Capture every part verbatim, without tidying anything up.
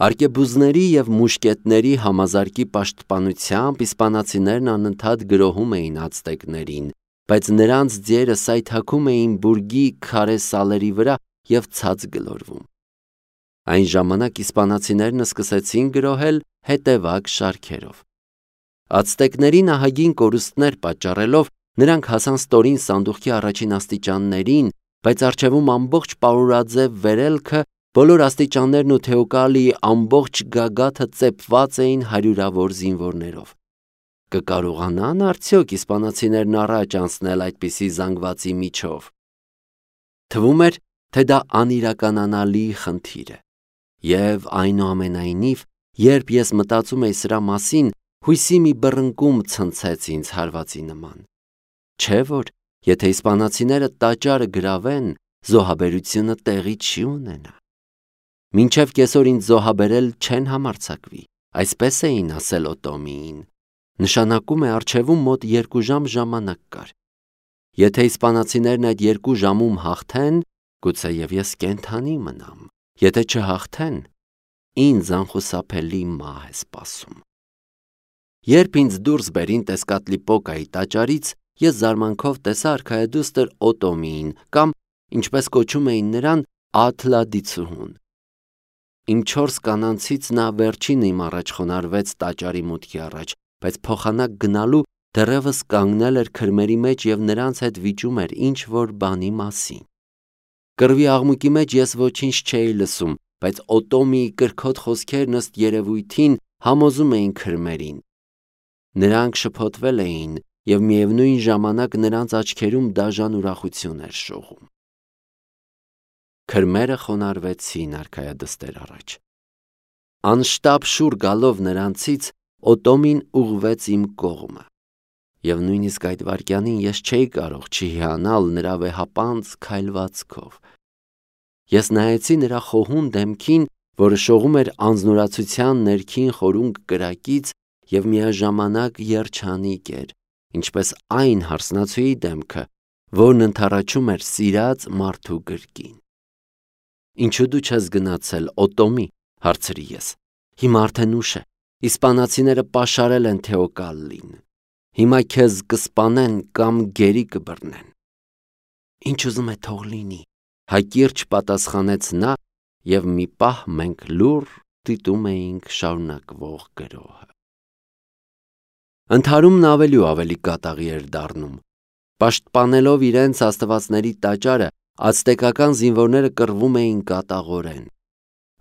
Արկեբուզների և մուշկետների համազարկի պաշտպանությամբ իսպանացիներն անընդհատ գրոհում էին ացտեկներին, բայց նրանց ձիերը սայթաքում էին բուրգի քարե սալերի վրա և ցած գլորվում։ Այն ժամանակ իսպանացիներն սկսեցին գրոհել հետևակ շարքերով։ Ացտեկներին ահագին կորուստներ պատճառելով նրանք հասան ստորին սանդուղքի առաջին աստիճաններին, բայց առջևում ամբողջ պարուրաձև վերելքը, բոլոր աստիճաններն ու Թեոկալիի ամբողջ գագաթը ծեփված էին հարյուրավոր զինվորներով։ Կկարողանա՞ն արդյոք իսպանացիներն առաջ անցնել այդպիսի զանգվածի միջով։ Թվում էր, թե դա անիրականանալի խնդիր է։ Եվ այնուամենայնիվ, երբ ես մտածում էի սրա մասին, հույսի մի բռնկում ցնցեց ինձ հարվածի նման։ Չէ՞ որ, եթե իսպանացիները տաճարը գրավեն, զոհաբերությունը տեղի չի ունենա։ Մինչև կեսօր ինձ զոհաբերել չեն համարձակվի, այսպես էին ասել Օտոմիին։ Նշանակում է առջևում մոտ երկու ժամ ժամանակ կար։ Եթե իսպանացիներն այդ երկու ժամում հաղթեն, գուցեև ես կենդանի մնամ, եթե չհաղթեն, ինձ անխուսափելի մահ է սպասում։ Երբ ինձ դուրս բերին Տեսկատլիպոկայի տաճարից, ես զարմանքով տեսա արքայադուստր Օտոմիին կամ, ինչպես կոչում էին նրան, Աթլադիցուհուն։ Իմ չորս կանանցից նա վերջինը իմ առաջ խոնարհվեց տաճարի մուտքի առաջ, բայց փոխանակ գնալու դեռևս կանգնել էր քրմերի մեջ և նրանց հետ վիճում էր ինչ-որ բանի մասին։ Կռվի աղմուկի մեջ ես ոչինչ չէի լսում, բայց Օտոմիի կրքոտ խոսքերն ըստ երևույթին համոզում էին քրմերին։ Նրանք շփոթվել էին, և միևնույն ժամանակ նրանց աչքերում դաժան ուրախություն էր շողում։ Քրմերը խոնարհվեցին արքայադստեր առաջ։ Անշտապ շուռ գալով նրանցից, Օտոմին ուղղվեց իմ կողմը, և նույնիսկ այդ վայրկյանին ես չէի կարող չհիանալ նրա վեհապանծ քայլվածքով։ Ես նայեցի նրա խոհուն դեմքին, որը շողում էր անձնուրացության ներքին խորունկ կրակից և միաժամանակ երջանիկ էր, ինչպես այն հարսնացուի դեմքը, որն ընդառաջում էր սիրած մարդու գրկին։ Ինչու դու չես գնացել, Օտոմի, հարցրի ես։ Հիմա արդեն ուշ է, իսպանացիները պաշարել են Թեոկալլին։ Հիմա քեզ կսպանեն կամ գերի կբռնեն։ Ինչ ուզում է թող լինի, հակիրճ պատասխանեց նա, և մի պահ մենք լուռ դիտում էինք շարունակվող գրոհը։ Ընդհարումն ավելի ու ավելի կատաղի էր դառնում։ Պաշտպանելով իրենց աստվածների տաճարը, ացտեկական զինվորները կռվում էին կատաղորեն։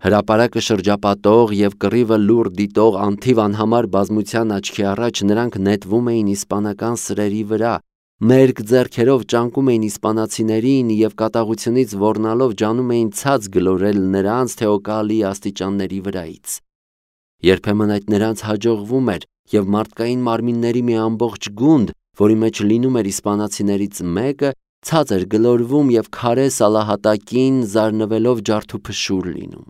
Հրապարակը շրջապատող և կռիվը լուռ դիտող անթիվ անհամար բազմության աչքի առաջ նրանք նետվում էին իսպանական սրերի վրա, մերկ ձեռքերով ճանկում էին իսպանացիներին և կատաղությունից ոռնալով ջանում էին ցած գլորել նրանց Թեոկալիի աստիճանների վրայից։ Երբեմն այդ նրանց հաջողվում էր, և մարդկային մարմինների մի ամբողջ գունդ, որի մեջ լինում էր իսպանացիներից մեկը, ցած էր գլորվում և քարե սալահատակին զարնվելով ջարդուփշուր լինում։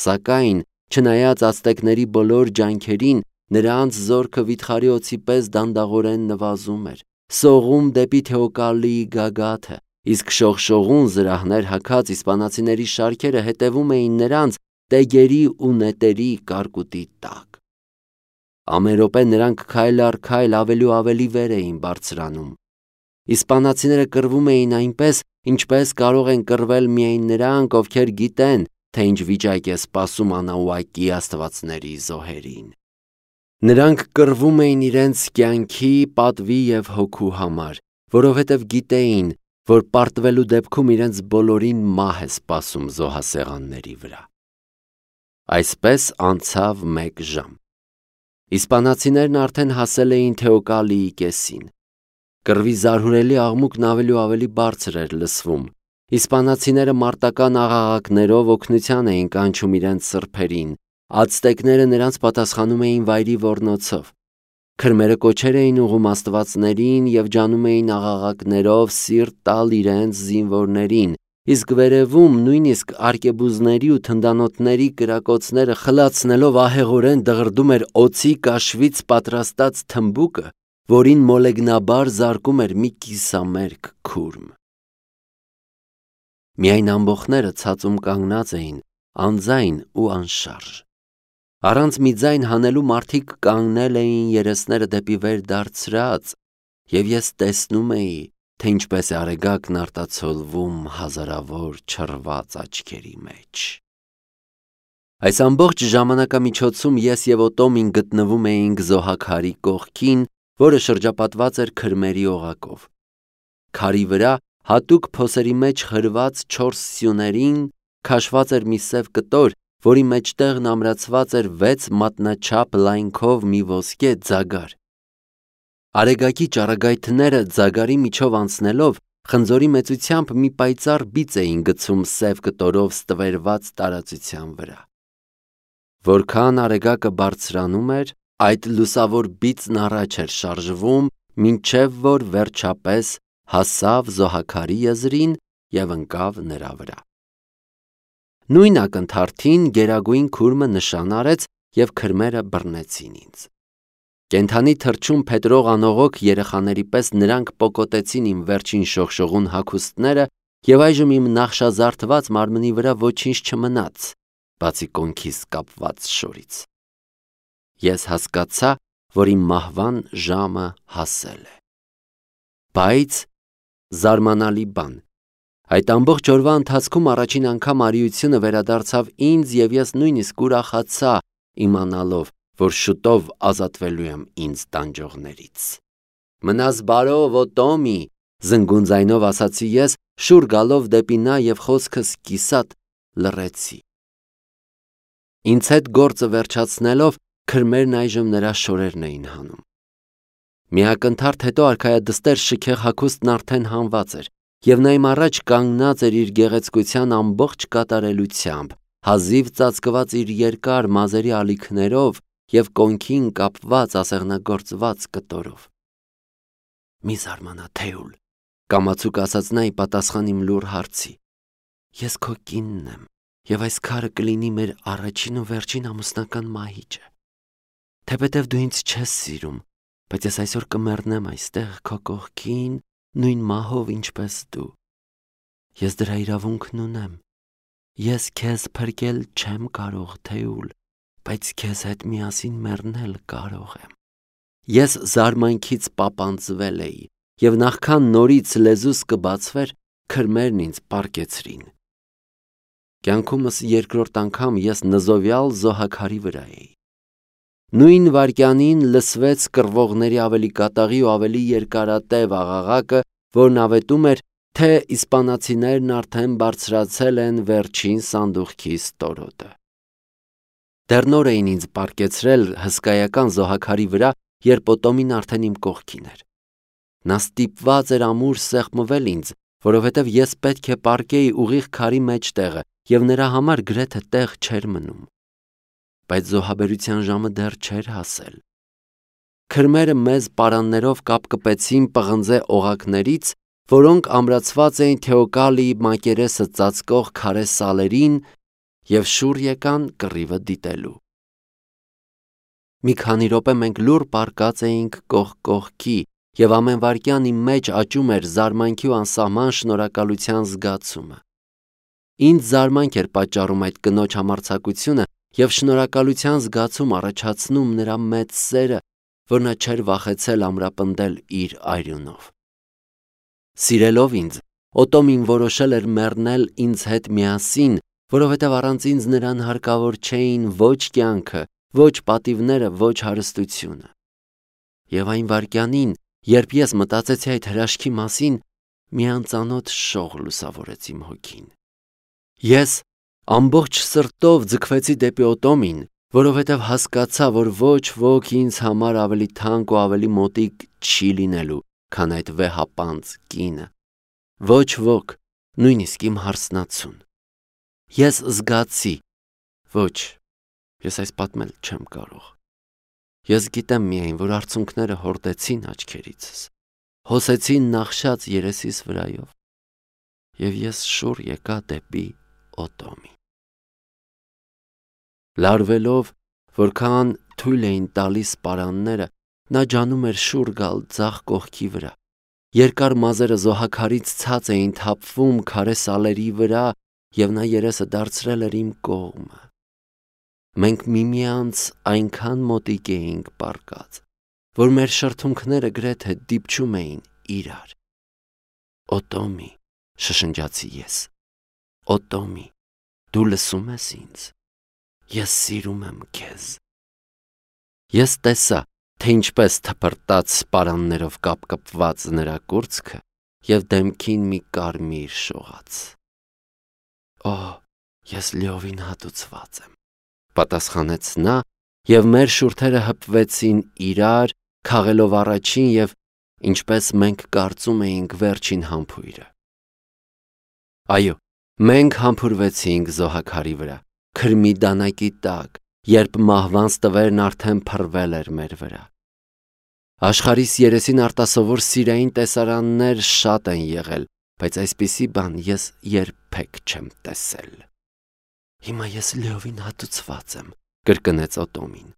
Սակայն, չնայած ացտեկների բոլոր ջանքերին, նրանց զորքը վիթխարի օձի պես դանդաղորեն նվազում էր, սողում դեպի Թեոկալիի գագաթը, իսկ շողշողուն զրահներ հագած իսպանացիների շարքերը հետևում էին նրանց տեգերի ու նետերի կարկուտի տակ։ Ամեն րոպե նրանք քայլ առ քայլ ավելի ու ավելի վեր էին բարձրանում։ Իսպանացիները կռվում էին այնպես, ինչպես կարող են կռվել միայն նրանք, ովքեր գիտեն, թե ինչ վիճակ է սպասում Անաուակի աստվածների զոհերին։ Նրանք կռվում էին իրենց կյանքի, պատվի և հոգու համար, որովհետև գիտեին, որ պարտվելու դեպքում իրենց բոլորին մահ է սպասում զոհասեղանների վրա։ Այսպես անցավ մեկ ժամ։ Իսպանացիներն արդեն հասել էին Թեոկալիի կեսին։ Կռվի զարհուրելի աղմուկն ավելի ու ավելի բարձր էր լսվում։ Իսպանացիները մարտական աղաղակներով օգնության էին կանչում իրենց սրբերին, ացտեկները նրանց պատասխանում էին վայրի ոռնոցով։ Քրմերը կոչեր էին ուղղում աստվածներին և ջանում էին աղաղակներով սիրտ տալ իրենց զինվորներին, իսկ վերևում նույնիսկ արկեբուզների ու թնդանոթների կրակոցները խլացնելով ահեղորեն դղրդում էր օձի կաշվից պատրաստած թմբուկը, որին մոլեգնաբար զարկում էր մի կիսամերկ քուրմ։ Միայն ամբոխները ցածում կանգնած էին, անձայն ու անշարժ։ Առանց մի ձայն հանելու մարդիկ կանգնել էին երեսները դեպի վեր դարձրած, և ես տեսնում էի, թե ինչպես է արեգակն արտացոլվում հազարավոր չռված աչքերի մեջ։ Այս ամբողջ ժամանակամիջոցում ես և Օտոմին գտնվում էինք զոհաքարի կողքին, որը շրջապատված էր քրմերի օղակով։ Քարի վրա, հատուկ փոսերի մեջ խրված չորս սյուներին, քաշված էր մի սև կտոր, որի մեջտեղն ամրացված էր վեց մատնաչափ լայնքով մի ոսկե ձագար։ Արեգակի ճառագայթները ձագարի միջով անցնելով, խնձորի մեծությամբ մի պայծառ բիծ էին գցում սև կտորով ստվերված տարածության վրա։ Որքան արեգակը բարձրանում էր, այդ լուսավոր բիծն առաջ էր շարժվում, մինչև որ վերջապես հասավ զոհաքարի եզրին և ընկավ նրա վրա։ Նույն ակնթարթին գերագույն քուրմը նշան արեց, և քրմերը բռնեցին ինձ։ Կենդանի թռչուն փետրող անողոք երեխաների պես նրանք պոկոտեցին իմ վերջին շողշողուն հագուստները, և այժմ իմ նախշազարդված մարմնի վրա ոչինչ չմնաց, բացի կոնքիս կապված շորից։ Ես հասկացա, որ իմ մահվան ժամը հասել է։ Բայց զարմանալի բան, այդ ամբողջ օրվա ընթացքում առաջին անգամ արիությունը վերադարձավ ինձ, և ես նույնիսկ ուրախացա, իմանալով, որ շուտով ազատվելու եմ ինձ տանջողներից։ Մնաս բարով, Օտոմի, զնգուն ձայնով ասացի ես, շուռ գալով դեպի նա և խոսքս կիսատ լռեցի։ Ինձ հետ գործը վերջացնելով, քրմերն այժմ նրա շորերն էին հանում։ Մի ակնթարթ հետո արքայադստեր շքեղ հագուստն արդեն հանված էր, և նա իմ առաջ կանգնած էր իր գեղեցկության ամբողջ կատարելությամբ, հազիվ ծածկված իր երկար մազերի ալիքներով և կոնքին կապված ասեղնագործված կտորով։ Մի զարմանա, Թեուլ, կամացուկ ասաց նա ի պատասխան իմ լուռ հարցի։ Ես քո կինն եմ, և այս քարը կլինի մեր առաջին ու վերջին ամուսնական մահիճը։ Թեպետև դու ինձ չես սիրում, բայց ես այսօր կմեռնեմ այստեղ քո կողքին, նույն մահով, ինչպես դու։ Ես դրա իրավունքն ունեմ։ Ես քեզ փրկել չեմ կարող, Թեուլ, բայց քեզ հետ միասին մեռնել կարող եմ։ Ես զարմանքից պապանձվել էի, և նախքան նորից լեզուս կբացվեր, քրմերն ինձ պառկեցրին։ Կյանքումս երկրորդ անգամ ես նզովյալ զոհաքարի վրա էի։ Նույն վայրկյանին լսվեց կռվողների ավելի կատաղի ու ավելի երկարատև աղաղակը, որն ավետում էր, թե իսպանացիներն արդեն բարձրացել են վերջին սանդուղքի ստորոտը։ Դեռ նոր էին ինձ պառկեցրել հսկայական զոհաքարի վրա, երբ Օտոմին արդեն իմ կողքին էր։ Նա ստիպված էր ամուր սեղմվել ինձ, որովհետև ես պետք է պառկեի ուղիղ քարի մեջտեղը, և նրա համար գրեթե տեղ չէր մնում։ Բայց զոհաբերության ժամը դեռ չէր հասել։ Քրմերը մեզ պարաններով կապկպեցին պղնձե օղակներից, որոնք ամրացված էին Թեոկալիի մակերեսը ծածկող քարե սալերին, և շուռ եկան կռիվը դիտելու։ Մի քանի րոպե մենք լուռ պառկած էինք կողք կողքի, և ամեն վայրկյան իմ մեջ աճում էր զարմանքի ու անսահման շնորհակալության զգացումը։ Ինձ զարմանք էր պատճառում այդ կնոջ համարձակությունը և շնորհակալության զգացում առաջացնում նրա մեծ սերը, որ նա չէր վախեցել ամրապնդել իր արյունով։ Սիրելով ինձ, Օտոմին որոշել էր մեռնել ինձ հետ միասին, որովհետև առանց ինձ նրան հարկավոր չէին ոչ կյանքը, ոչ պատիվները, ոչ հարստությունը։ Եվ այն վայրկյանին, երբ ես մտածեցի այդ հրաշքի մասին, մի անծանոթ շող լուսավորեց իմ հոգին։ Ես ամբողջ սրտով ձգվեցի դեպի Օտոմին, որովհետև հասկացա, որ ոչ ոք ինձ համար ավելի թանկ ու ավելի մոտիկ չի լինելու, քան այդ վեհապանծ կինը։ Ոչ ոք, նույնիսկ իմ հարսնացուն։ Ես զգացի, ոչ, ես այս պատմել չեմ կարող։ Ես գիտեմ միայն, որ արցունքները հորդեցին աչքերիցս, հոսեցին նախշած երեսիս վրայով, և ես շուռ եկա դեպի Օտոմի։ Լարվելով, որքան թույլ էին տալիս պարանները, նա ջանում էր շուռ գալ ձախ կողքի վրա։ Երկար մազերը զոհաքարից ցած էին թափվում քարե սալերի վրա, և նա երեսը դարձրել էր իմ կողմը։ Մենք միմյանց այնքան մոտիկ էինք պառկած, որ մեր շրթունքները գրեթե դիպչում էին իրար։ «Օտոմի», շշնջացի ես, «Օտոմի, դու լսում ես ինձ, ես սիրում եմ քեզ»։ Ես տեսա, թե ինչպես թփրտաց սպարաններով կապկպված նրա կուրծքը և դեմքին մի կարմիր շողաց։ «Օ, ես լիովին հատուցված եմ», պատասխանեց նա, և մեր շուրթերը հպվեցին իրար, քաղելով առաջին և, ինչպես մենք կարծում էինք, վերջին համբույրը։ Այո, մենք համբուրվեցինք զոհաքարի վրա, քրմի դանակի տակ, երբ մահվանց տվերն արդեն փռվել էր մեր վրա։ Աշխարհիս երեսին արտասովոր սիրային տեսարաններ շատ են եղել, բայց այսպիսի բան ես երբեք չեմ տեսել։ «Հիմա ես լիովին հատուցված եմ», կրկնեց Օտոմին։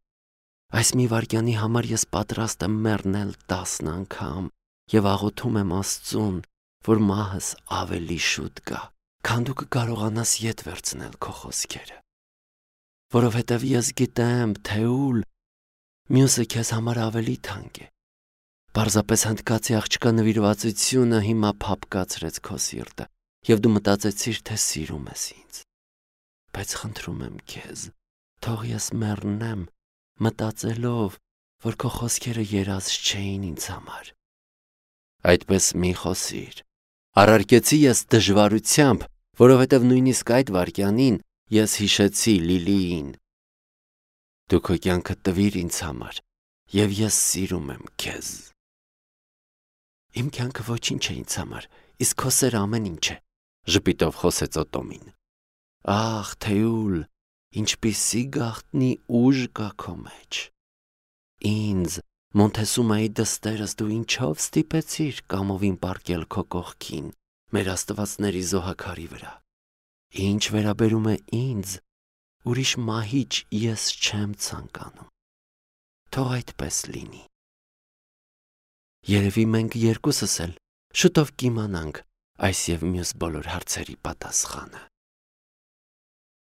«Այս մի վայրկյանի համար ես պատրաստ եմ մեռնել տասն անգամ և աղոթում եմ Աստծուն, որ մահս ավելի շուտ գա, քան դու կկարողանաս ետ վերցնել քո խոսքերը։ Որովհետև ես գիտեմ, Թեուլ, մյուսը քեզ համար ավելի թանկ է։ Պարզապես հնդկացի աղջկա նվիրվածությունը հիմա փափկացրեց քո սիրտը, և դու մտածեցիր, թե սիրում ես ինձ։ Բայց խնդրում եմ քեզ, թող ես մեռնեմ, մտածելով, որ քո խոսքերը երազ չէին ինձ համար։ Այդպես մի խոսիր, առարկեցի ես դժվարությամբ, որովհետև նույնիսկ այդ վայրկյանին ես հիշեցի Լիլիին։ Դու քո կյանքը տվիր ինձ համար, և ես սիրում եմ քեզ։ Իմ կյանքը ոչինչ է ինձ համար, իսկ քո սերը ամեն ինչ է, ժպիտով խոսեց Օտոմին։ Ախ, Թեուլ, ինչպիսի գաղտնի ուժ կա քո մեջ։ Ինձ, Մոնթեսումայի դստերս, դու ինչով ստիպեցիր կամովին պառկել քո կողքին, մեր աստվածների զոհաքարի վրա։ Ինչ վերաբերում է ինձ, ուրիշ մահիճ ես չեմ ցանկանում։ Թող այդպես լինի։ Երևի մենք երկուսս էլ շուտով կիմանանք այս և մյուս բոլոր հարցերի պատասխանը։